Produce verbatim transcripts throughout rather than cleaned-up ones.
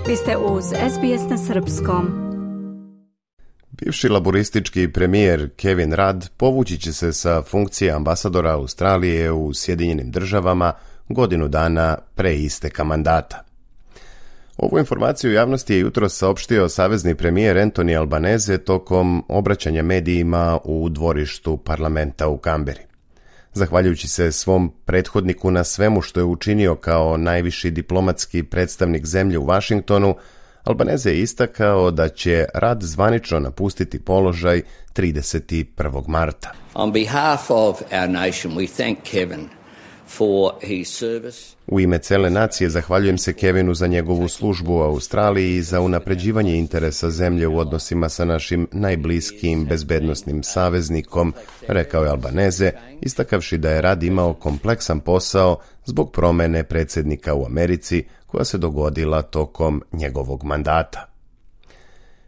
Vi ste uz S B S na srpskom. Bivši laboristički premijer Kevin Rudd povući će se sa funkcije ambasadora Australije u Sjedinjenim državama godinu dana pre isteka mandata. Ovu informaciju javnosti je jutros saopštio savezni premijer Anthony Albanese tokom obraćanja medijima u dvorištu parlamenta u Kamberi. Zahvaljujući se svom prethodniku na svemu što je učinio kao najviši diplomatski predstavnik zemlje u Vašingtonu, Albanese je istakao da će Rudd zvanično napustiti položaj trideset prvog marta. On behalf of our nation, we thank Kevin for his service. U ime cele nacije zahvaljujem se Kevinu za njegovu službu u Australiji i za unapređivanje interesa zemlje u odnosima sa našim najbliskijim bezbednosnim saveznikom, rekao je Albanese, istakavši da je Rudd imao kompleksan posao zbog promene predsjednika u Americi koja se dogodila tokom njegovog mandata.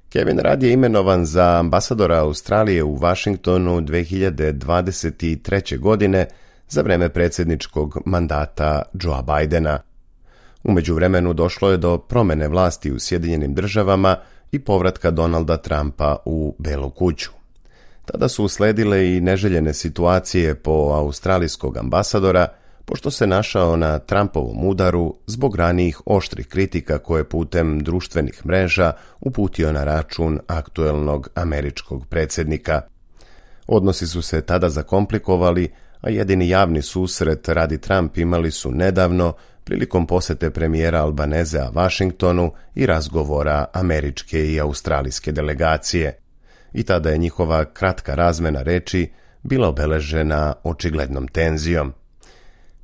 Kevin Rudd je imenovan za ambasadora Australije u Vašingtonu dve hiljade dvadeset treće. godine za vreme predsjedničkog mandata Joea Bidena. U međuvremenu došlo je do promene vlasti u Sjedinjenim državama i povratka Donalda Trumpa u Belu kuću. Tada su usledile i neželjene situacije po australijskog ambasadora, pošto se našao na Trumpovom udaru zbog ranijih oštrih kritika koje putem društvenih mreža uputio na račun aktuelnog američkog predsjednika. Odnosi su se tada zakomplikovali, a jedini javni susret Rudd i Trump imali su nedavno prilikom posete premijera Albanesea Vašingtonu i razgovora američke i australijske delegacije. I tada je njihova kratka razmena reči bila obeležena očiglednom tenzijom.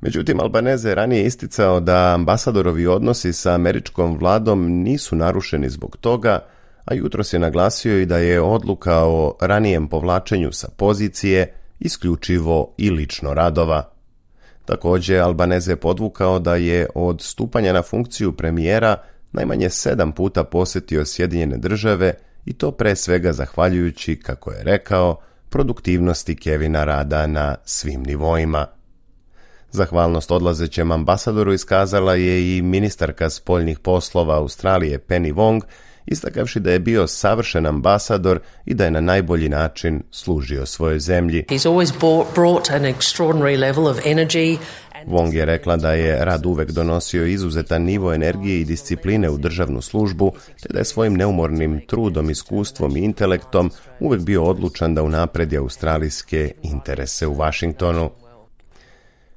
Međutim, Albanese je ranije isticao da ambasadorovi odnosi sa američkom vladom nisu narušeni zbog toga, a jutros je naglasio i da je odluka o ranijem povlačenju sa pozicije isključivo i lično Ruddova. Također, Albanese je podvukao da je od stupanja na funkciju premijera najmanje sedam puta posjetio Sjedinjene države i to pre svega zahvaljujući, kako je rekao, produktivnosti Kevina Rudda na svim nivoima. Zahvalnost odlazećem ambasadoru iskazala je i ministarka spoljnih poslova Australije Penny Wong, istakavši da je bio savršen ambasador i da je na najbolji način služio svojoj zemlji. Wong je rekla da je Rudd uvek donosio izuzetan nivo energije i discipline u državnu službu, te da je svojim neumornim trudom, iskustvom i intelektom uvek bio odlučan da unapredi australijske interese u Vašingtonu.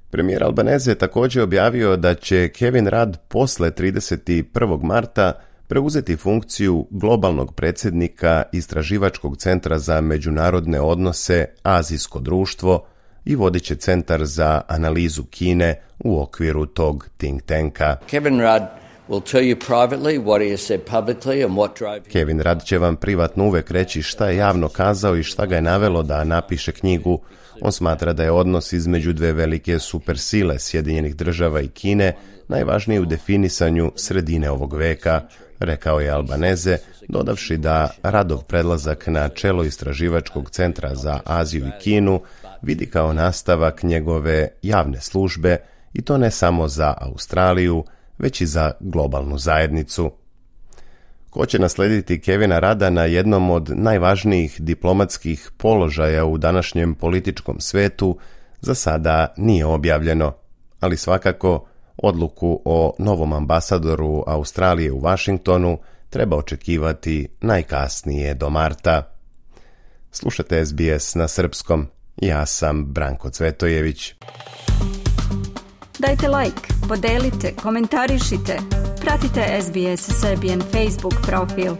Premijer Albanese je također objavio da će Kevin Rudd posle trideset prvog marta preuzeti funkciju globalnog predsjednika Istraživačkog centra za međunarodne odnose Azijsko društvo i vodit će centar za analizu Kine u okviru tog think tanka. Kevin Rudd will tell you privately what he has said publicly and what drove him. Kevin Rudd će vam privatno uvek reći šta je javno kazao i šta ga je navelo da napiše knjigu. On smatra da je odnos između dve velike supersile Sjedinjenih država i Kine najvažniji u definisanju sredine ovog veka, rekao je Albanese, dodavši da Ruddov predlazak na čelo Istraživačkog centra za Aziju i Kinu vidi kao nastavak njegove javne službe i to ne samo za Australiju, već i za globalnu zajednicu. Ko će naslediti Kevina Rudda na jednom od najvažnijih diplomatskih položaja u današnjem političkom svetu za sada nije objavljeno, ali svakako odluku o novom ambasadoru Australije u Vašingtonu treba očekivati najkasnije do marta. Slušate S B S na srpskom. Ja sam Branko Cvetojević. Dajte like, podelite, komentarišite. Pratite S B S Serbian Facebook profil.